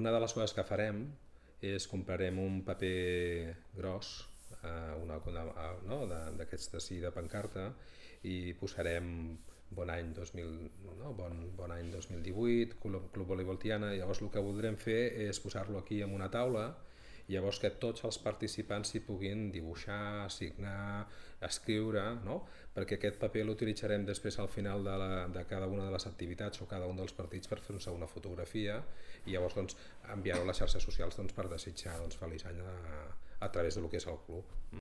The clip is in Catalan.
Una de les coses que farem és comprarem un paper gros, no? D'aquests de pancarta, i posarem bon any 2000, no? bon any 2018, Club Voleibol Tiana. Llavors el que voldrem fer és posar-lo aquí en una taula, llavors que tots els participants s'hi puguin dibuixar, signar, escriure, no? Perquè aquest paper l'utilitzarem després al final de cada una de les activitats o cada un dels partits per fer-nos una fotografia i llavors enviar-ho a les xarxes socials per desitjar feliç any a través del que és el club.